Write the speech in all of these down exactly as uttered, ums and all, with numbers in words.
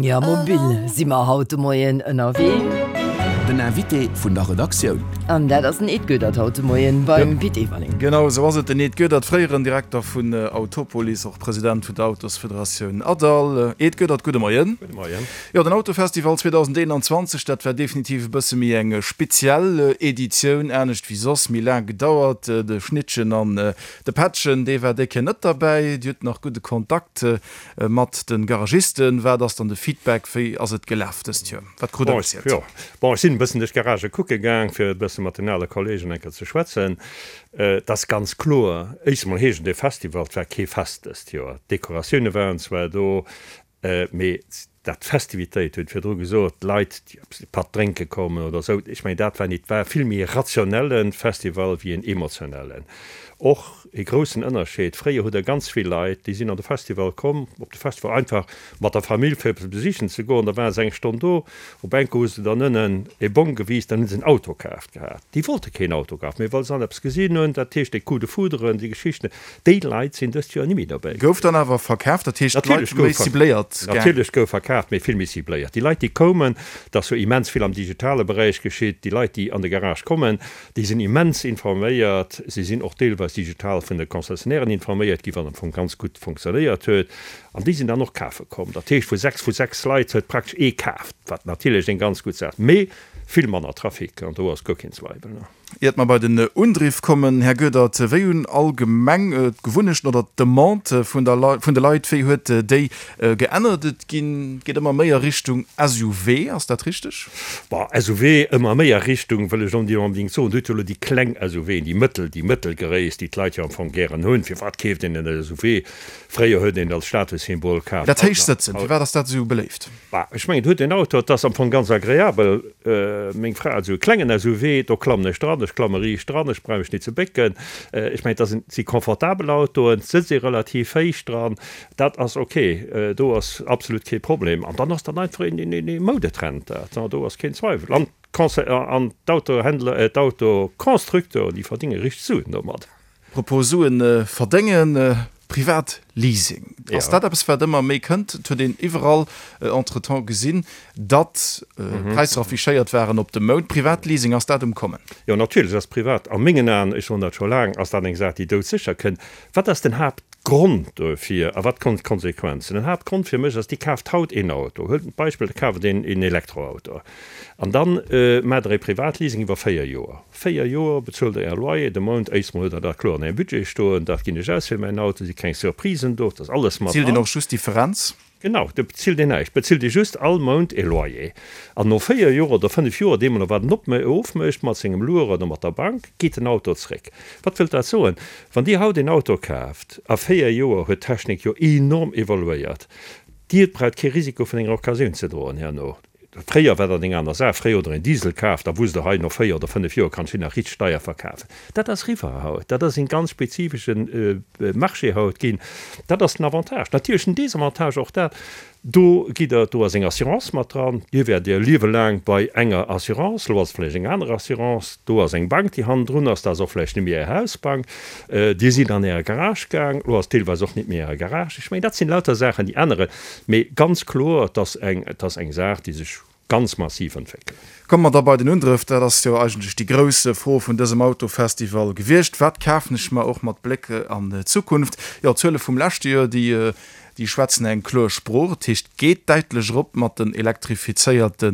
Ja, mobil si mer haut de Moien ënnerwee. Den Invité vun der Redaktioun. An dat ass den Ed Goedert haut de Moien beim Pit Everling. Genau esou ass et, den Ed Goedert, fréieren Direkter vun Autopolis, och President vun der Autosfederatioun ADAL. Ed Goedert, gudde Moien. Gudde Moien. Jo, den Autofestival zweedausendeenanzwanzeg, dat war definitiv e bësse méi eng speziell Editioun, anescht wéi soss, méi laang gedauert. De Schnittchen an de Pättchen, dee war déi Kéier net derbäi. Dir hutt nach gudde Kontakt mat de Garagisten. Wat ass dann de Feedback? Wéi ass et gelaf dëst Joer? Wat krut Der gezielt? Jo, bon, ech sinn e bëssen duerch d'Garagë kucke gaang, fir e bësse mat den ale Kollegen eng Kéier ze schwätzen. Et ass ganz kloer, éischt emol heescht et e Festival, et war kee Fest dëst Joer. D'Dekoratioune waren zwar do, mee dat d'Festivitéit, huet virdru gesot, d'Leit, déi eppes e Patt drénke kommen oder esou, ech mengen, dat war nit, war vill méi e rationelle Festival wéi en emotionellen. Och e groussen Ënnerscheed, fréier hutt Der ganz vill Leit, déi sinn an de Festival komm, op de Festival einfach mat der Famill fir eppes besichen ze goen, da ware se eng Stonn do, op enke hu se dann ënnen e Bong gewisen, dann hu se en Auto kaaft gehat. Déi wollte keen Auto kafen, mee well se dann eppes gesinn hunn, dat heescht dee Coup de foudre, déi Geschichten, déi Leit sinn dëst Joer ni méi dobäi. Gouf dann awer verkaaft, dat heescht d'Leit hu méi cibléiert gaang. Natierlech gouf verkaaft, mee vill méi cibléiert. Déi Leit, déi koumen, et ass jo immens vill am digitale Beräich geschitt, déi Leit, déi an de Garage kommen, déi sinn immens informéiert, si sinn och deelweis digital vun de Concessionnairen informéiert ginn, wat am Fong ganz gutt funktionéiert huet, an déi sinn dann och kafe komm. Dat heescht, vu sechs vu sechs Leit huet praktesch ee kaaft, wat natierlech eng ganz gutt Saach, mee vill manner Trafic, an do ass guer keen Zweiwel. Iert mer bei den Undriff kommen, Här Goedert, wéi hunn allgemeng d'Gewunnechten oder d'Demande vun der vun de Leit, wéi huet déi geännert? Et ginn, geet ëmmer méi a Richtung S U V, ass dat richteg? Bon, S U V ëmmer méi a Richtung, wëll ech net onbedéngt soen. Dir hutt jo elo déi kleng S U Ven, déi mëttel, déi mëttelgréisst, déi d'Leit jo am Fong gären hunn. Firwat keeft een en S U V? Fréier huet een als Statussymbol kaf. Dat héicht sëtzen, firwat ass dat esou beléift? Bah, ech mengen, et huet een Auto, et ass am Fong ganz agreabel. Meng Fra huet esou e klengen S U V, do klammen ech dran, ech klamme riicht dran, ech brauch mech nit ze bécken. Ech mengen, dat si confortabel Autoen, et sëtzt ee relativ héich dran, dat ass ok, do ass absolut kee Problem. An dann ass dat einfach een Moudetrend, dat, do ass keen Zweiwel. An d'Conse-, an d'Autohändler, d'Autoconstructeuren, déi verdénge richteg Suen domat. Propos Suen verdéngen, Privatleasing, ass dat eppes wat ëmmer méi kënnt? Et huet een iwwerall entretemps gesinn, datt Präisser affichéiert waren op de Mount. Privatleasing, ass dat um Kommen? Jo, natierlech ass privat, a mengen Aen, ech soen dat scho laang, ass dat eng Saach, déi doudsécher kënnt. Wat ass den Haaptgrond dofir a wat kommen d'Konsequenzen? Den Haaptgrond fir mech ass, Dir kaaft haut een Auto, huelt en Beispill, Der kaaft een Elektroauto an dann maacht Der ee Privatleasing iwwer véier Joer. Véier Joer bezuelt Der Är Loyer de Mount. Éischt mol hutt Der dat kloer an Ärem Budget stoen, dat ginn ech aus fir mäin Auto, si keng Surprisen do, dat ass alles mat Bezilt een dran. Och just d'Differenz? Genau, do bezilt een näischt, bezilt ee just all Mount ee Loyer. An no véier Joer oder fënnef Joer, deemno wat en ofmécht mat sengem Loueur oder mat der Bank, geet den Auto zréck. Wat wëllt dat soen? Wann Dir haut een Auto kaaft, a véier Joer huet d'Technik jo enorm evoluéiert, Dir braucht kee Risiko vun enger Occasioun ze droen herno. Fréier war dat eng aner Saach. Fréier hutt Der een Diesel kaaft, da wusst Der, hei no véier oder fënnef Joer kann ech deen nach richteg deier verkafen. Dat ass eriwwer haut. Dat ass een ganz spezifesche Marché haut ginn. Dat ass den Avantage. Natierlech den Desavantage och dat, do gitt Der, do ass eng Assurance mat dran. Dir wäert Är Liewe laang bei enger Assurance, elo ass et vläicht eng aner Assurance, do ass eng Bank, déi hannendrun ass, dat ass och vläicht net méi Är Hausbank. Dir sidd an Äre Garage gaang, elo ass et deelweis och net méi Äre Garage. Ech mengen, dat sinn lauter Saachen, déi änneren. Mee ganz kloer, et ass eng, et ass eng Saach, déi sech ganz massiv entwéckelt. Komme mer da bei den Undrëff. Dat ass jo eigentlech déi grouss Fro vun dësem Autofestival gewiescht. Wat kafen ech mer, och mat Bléck an d'Zukunft? Jo, d'Zuele vum leschte Joer, déi, déi schwätzen eng kloer Sprooch. Dat heescht, et geet däitlech erop mat den elektrifizéierte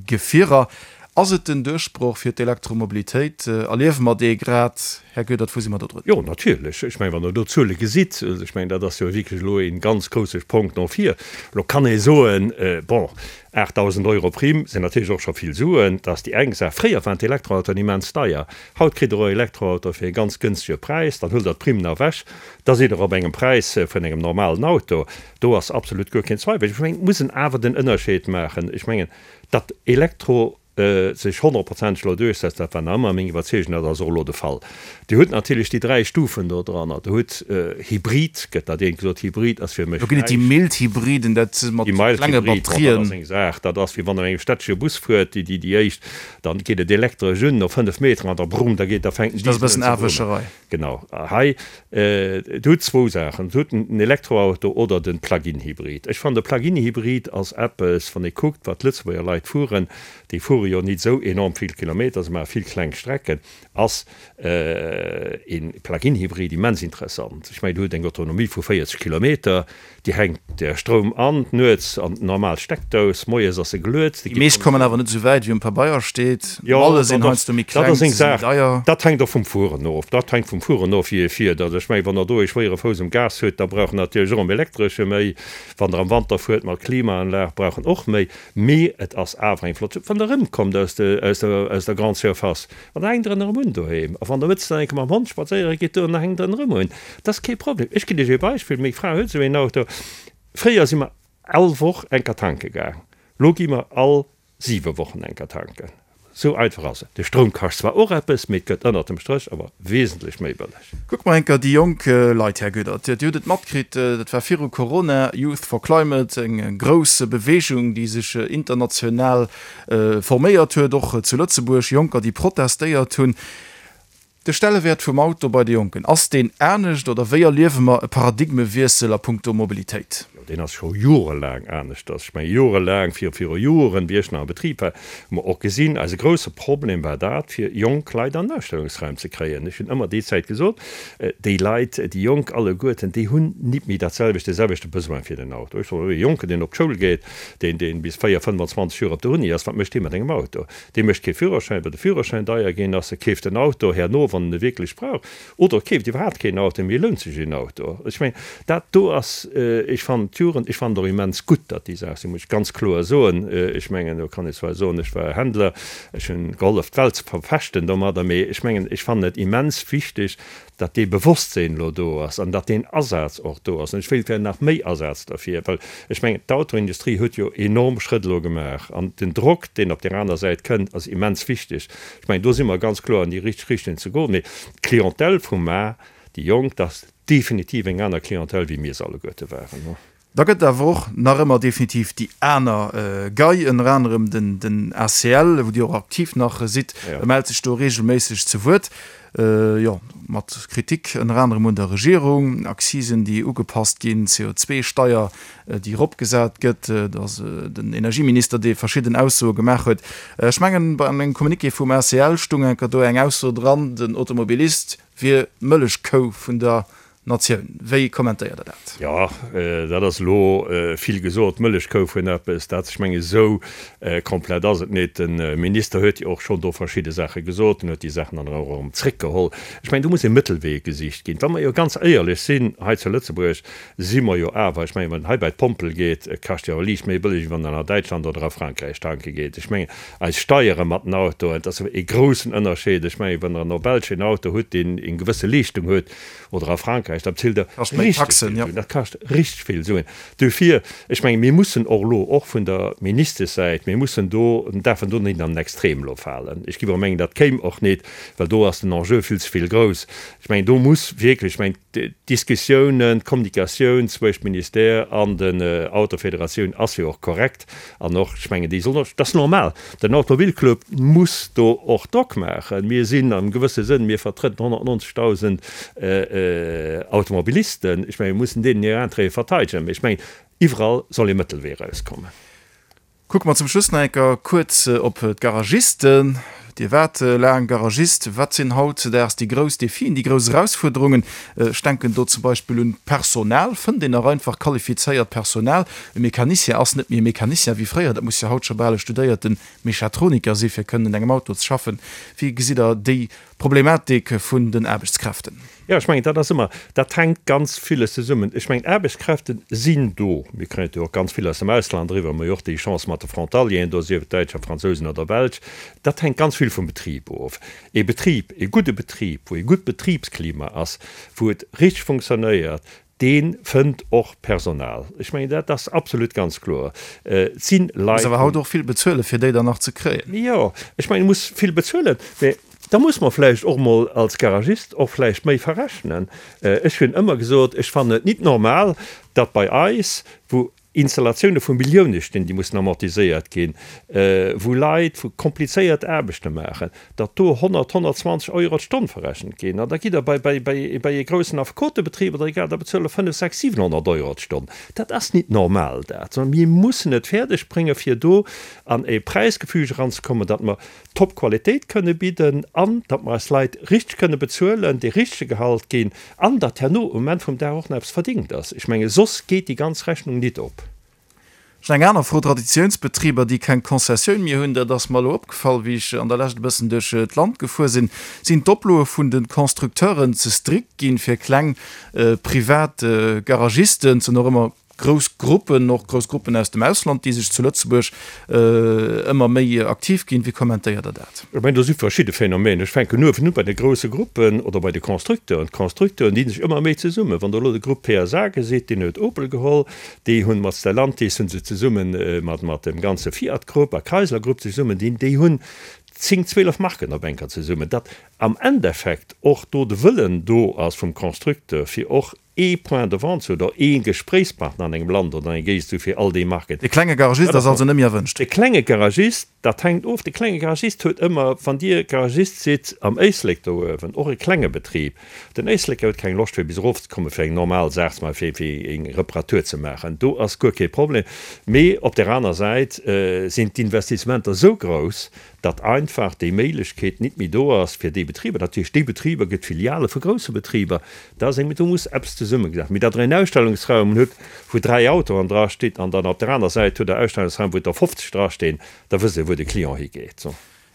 Gefierer. Ass et den Duerchbroch fir d'Elektromobilitéit? Erliewe mer dee grad? Här Goedert, wou si mer do drun? Jo, natierlech. Ech mengen, wann Der do d'Zuele gesitt, ech mengen, dat ass jo wierklech elo ee ganz grousse Spronk no vir. Elo kann ee soen, bon, aachtdausend Euro Primm sinn natierlech och scho vill Suen. Dat ass déi eng Saach. Fréier waren d'Elektroautoen immens deier. Haut kritt Der e Elektroauto fir e ganz gënschtege Präis. Dann huelt Der d'Primm nach ewech, da sidd Der op engem Präis vun engem normalen Auto. Do ass absolut guer keen Zweiwel. Ech mengen, et muss een awer den Ënnerscheed maachen. Ech mengen, datt Elektro. sech honnertprozenteg elo duerchsetzt, dat war nach ëmmer meng Iwwerzeegung, dat ass och elo de Fall. Dir hutt natierlech déi dräi Stufen do dran. Dir hutt Hybrid, gëtt dat eent gesot, Hybrid ass fir mech Do ginn et déi näischt. mild Hybriden, dat si mat Déi mild klenge Hybrid, bon, dat Batterien. ass eng Saach, dat ass wéi wann Der an engem städtesche Bus fuert, déi, déi, déi éischt, dann geet et elektresch un no fënnef Meteren an da brumm, da geet, da fänkt den Dat ass e Diesel un bëssen ze brummen. Aarwëscherei. Genau. Hei, Dir hutt zwou Saachen, Dir hutt den Elektroauto oder de Plug-in-Hybrid. Ech fannen, de Plug-in-Hybrid ass eppes, wann ee kuckt, wat d'Lëtzebuerger Leit fueren, déi fuere jo nit esou enorm vill Kilometer, se maache vill kleng Strecken, ass e Plug-in-Hybrid immens interessant. Ech mengen, Dir hutt eng Autonomie vu véierzeg Kilometer, Dir hänkt Är Stroum an, nuets an d'normal Steckdous, moies ass e geluet, Déi meescht kommen awer net esou wäit, wéi um Pabeier steet. Jo, D'Malle sinn dat ass, heiansdo méi dat kleng, ass eng se si méi Saach, deier. dat hänkt och vum Fueren of. Dat hänkt vum Fueren of, wéi ee fiert. Also ech mengen, wann Der do ee schwéiere Fouss um Gas hutt, da brauch en natierlech och am Elektresche méi. Wann Der am Wanter fuert mat Klimaanlag, brauch en och méi. Mee et ass awer eng flott, wann Der erëmkommt aus de, aus der, aus der Grande Surface, an da hänkt Der en erëm un doheem. A wann Der mëttes dann eng Kéier mam Hond spadséiere gitt, do, dann hänkt Der en erëm un. Dat ass kee Problem. Ech ginn Iech ee Beispill, Meng Fra huet esou een Auto. Fréier si mer all Woch eng Kéier tanke gaang. Lo gi mer all siwe Wochen eng Kéier tanken. Sou einfach ass et. De Stroum kascht zwar och eppes, mee et gëtt ënnert dem Stréch awer wesentlech méi bëlleg. Kucke mer eng Kéier déi jonk Leit, Här Goedert. Dir hutt et matkritt, dat war viru Corona, Youth for Climate, eng grouss Beweegung, déi sech international forméiert huet, och zu Lëtzebuerg, Jonker, déi protestéiert hunn. De Stellewäert vum Auto bei de Jonken, ass deen anescht oder wéi erliewe mer e Paradigmewiessel a punkto Mobilitéit? Jo, deen ass scho jorelaang aneschters. Ech mengen, jorelaang, vir, viru Joren, wéi ech nach am Betrib war, hu mer och gesinn, eise grousse Problem war dat, fir jonk Leit an den Ausstellungsraum ze kréien. Ech hunn ëmmer déi Zäit gesot, déi Leit, déi Jonk alleguerten, déi hunn nit méi dat selwecht, dee selwechte Besoin fir den Auto. Ech soen, e Jonken, deen op d'Schoul geet, deen, deen bis véier, fënnefanzwanzeg Joer op der Uni ass, wat mécht dee mat engem Auto? Dee mécht kee Führerschäin, well de Führerschäin deier ginn ass. E keeft en Auto herno, wann en e wierklech brauch, oder keeft iwwerhaapt keen Auto, mee lount sech een Auto. Ech mengen, dat do ass, ech fannen d'Jugend, ech fannen et och immens gutt, datt déi Saach sinn, muss ech ganz kloer soen. Ech mengen, do kann ee zwar soen, ech war Händler, ech hunn gehollef d'Welt ze verpeschten domadder, mee ech mengen, ech fannen et immens wichteg, datt dee Bewosstsinn elo do ass an datt deen Asaz och do ass. An ech wéilt gär nach méi Asaz derfir, well ech mengen, d'Autoindustrie huet jo enorm Schrëtt elo gemaach an den Drock, deen op där aner Säit kënnt, ass immens wichteg. Ech mengen, do si mer ganz kloer an déi richteg Richtung ze goen. Mee d'Clientèle vu mar, déi Jonk, dat ass definitiv eng aner Clientèle, wéi mir se alleguerte waren. Da gëtt et awer och nach ëmmer definitiv déi aner Gei, ënner anerem den A C L, wou Dir och aktiv nach sidd, mellt sech do reegelméisseg zu Wuert, jo, mat Kritik ënner anerem un der Regierung, Accisen, déi ugepasst ginn, C O zwei Steier, déi eropgesat gëtt, et ass den Energieminister, dee verschidden Aussoe gemaach huet. Ech mengen, bei engem Communiqué vum A C L stung enker do eng Ausso dran, den Automobilist wier d'Mëllechkou vun der Natioun. Wéi kommentéiert Der dat? Jo, dat ass elo vill gesot, d'Mëllechkou vun eppes. Dat, ech mengen, esou komplett ass et net. De Minister huet jo och schonn do verschidde Saache gesot. En huet déi Saachen dann och erëm zréckgeholl. Ech mengen, do muss e Mëttelwee gesicht ginn. Wa mer jo ganz éierlech sinn, hei zu Lëtzebuerg si mer jo awer, ech mengen, wann een hei bei d'Pompel geet, et kascht jo awer liicht méi bëlleg, wéi wann een a Däitschland oder a Frankräich tanke geet. Ech mengen, eis Steiere mat den Autoen, dat ass e groussen Ënnerscheed. Ech mengen, wann Der an der Belsch een Auto hutt, deen eng gewësse Leeschtung huet, oder a Frankräich, dat bezilt Der Kascht méi richtig Taxen, vill ja. Suen. Dat kascht richtig vill Suen. Dofir, ech mengen, mir mussen och elo, och vun der Ministeschsäit, mir mussen do, däerfen do net an den Extrem elo falen. Ech géif och mengen, dat kéim och net, well do ass den Enjeu vill ze vill grouss. Ech mengen, do muss wierklech, ech mengen, d'Diskussiounen, d'Kommunikatioun zwëscht Ministère an den Autofederatioun ass jo och korrekt an och, ech mengen, déi sollen och, dat ass normal, den Automobilclub muss do och Drock maachen. Mir sinn am gewësse Sënn, mir vertrëtten honnertneunzegdausend Automobilisten. Ech mengen, mir mussen deenen hir Intérêtë verteidegen. Mee ech mengen, iwwerall soll ee Mëttelwee erauskommen. Kucke mer zum Schluss nach eng Kéier kuerz op d'Garagisten. Dir waart laang Garagist. Wat sinn hautzedaags déi grouss Defien, déi grouss Erausfuerderungen? Ech denken do zum Beispill un d'Personal. Fënnt een nach einfach qualifizéiert Personal? E Mecanicien ass net méi e Mecanicien wéi fréier. Dat muss jo haut scho bal e studéierte Mechatroniker si fir kënnen un engem Auto ze schaffen. Wéi gesitt Der déi Problematik vun den Aarbechtskräften? Jo, ech mengen, dat ass ëmmer, dat hänkt ganz villes zesummen. Ech mengen, Aarbechtskräfte sinn do. Mir kréien jo och ganz vill aus dem Ausland eriwwer. Mir hu jo och déi Chance mat de Frontalieren do, sief et Däitscher, Fransousen oder Belsch. Dat hänkt ganz vill vum Betrib of. E Betrib, e gudde Betrib, wou e gutt Betribsklima ass, wou et richteg funktionéiert, Dee fënnt och Personal. Ech mengen, dat ass absolut ganz kloer. Et si Leit. Muss awer haut och vill bezuelen, fir déi dann nach ze kréien. Jo, ech mengen, e muss vill bezuelen, mä da muss mer vläicht och emol als Garagist och vläicht méi verrechnen. Ech hunn ëmmer gesot, ech fannen et nit normal, datt bei eis, wou Installatioune vu Millioune stinn, déi mussen amortiséiert ginn, wou Leit, wou komplizéiert Aarbechte maachen, datt do honnert, honnertzwanzeg Euro d'Stonn verrechent ginn. An da gitt Der bei, bei, bei, bei ee groussen Affekotebetrib oder egal, da bezuelt Der fënnef, sechs, siwenhonnert Euro d'Stonn. Dat ass nit normal, dat, sondern mir mussen et fäerdeg bréngen, fir do an e Präisgefüge eranzekommen, datt mer Top-Qualitéit kënne bidden an datt mer eis Leit richteg kënne bezuelen, dee richtege Gehalt ginn an datt herno um Enn vum Dag och nach eppes verdingt ass. Ech menge soss geet déi ganz Rechnung nit op. Schon eng aner Fro, Traditiounsbetriber, déi keng Concessioun méi hunn, dat ass mer elo opgefall, wéi ech an der Lescht e bëssen duerch d'Land gefuer sinn, sinn d'Oploe vun de Constructeuren ze strikt ginn fir kleng privat Garagisten, et sinn och ëmmer grouss Gruppen, och grouss Gruppen aus dem Ausland, déi sech zu Lëtzebuerg ëmmer méi aktiv ginn. Wéi kommentéiert Der dat? Ech mengen, do si verschidde Phänomener. Ech fänken uewen u bei de grousse Gruppen oder bei de Constructeuren. D'Constructeuren dinn sech ëmmer méi zesummen. Wann Der elo de Grupp P S A gesitt, deen huet Opel geholl, déi hunn mat Stellantis hu se zesumme mat dem ganze Fiat-Grupp a Chrysler-Grupp zesummen dinn, déi hunn zéng, zwielef Marken op enker zesummen, datt am Endeffekt och do de Wëllen do ass vum Constructeur, fir och ee Point de vente ze hunn oder ee Gespréichspartner an engem Land oder an enger Géigend ze hu fir all déi Marken. De klenge Garagist ass also net méi erwënscht? De klenge Garagist, dat hänkt of. De klenge Garagist huet ëmmer, wann Dir Garagist sidd am Éislek do uewen, och e klenge Betrib, den Éisleker huet keng Loscht fir bis erofzekommen, fir eng normal Saach ze maachen, fir eng Reparatur ze maachen. Do ass guer kee Problem. Mee op där aner Säit sinn d'Investissementer esou grouss, datt einfach déi Méiglechkeet nit méi do ass fir déi Betriber. Natierlech, déi Betriber gëtt Filiale vu grousse Betriber, da ass eng, do muss eppes zesummegesat. Mee datt Der een Ausstellungsraum hutt, wou dräi Autoen drasteet an dann op der aner Säit hutt Der Ausstellungsraum, wou der fofzeg drastinn, da wësst Der, wou de Client higeet.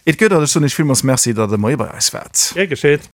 Et gëtt, an ech soen Iech villmools Merci, datt Der de Moie bei eis waart. Gär geschéet.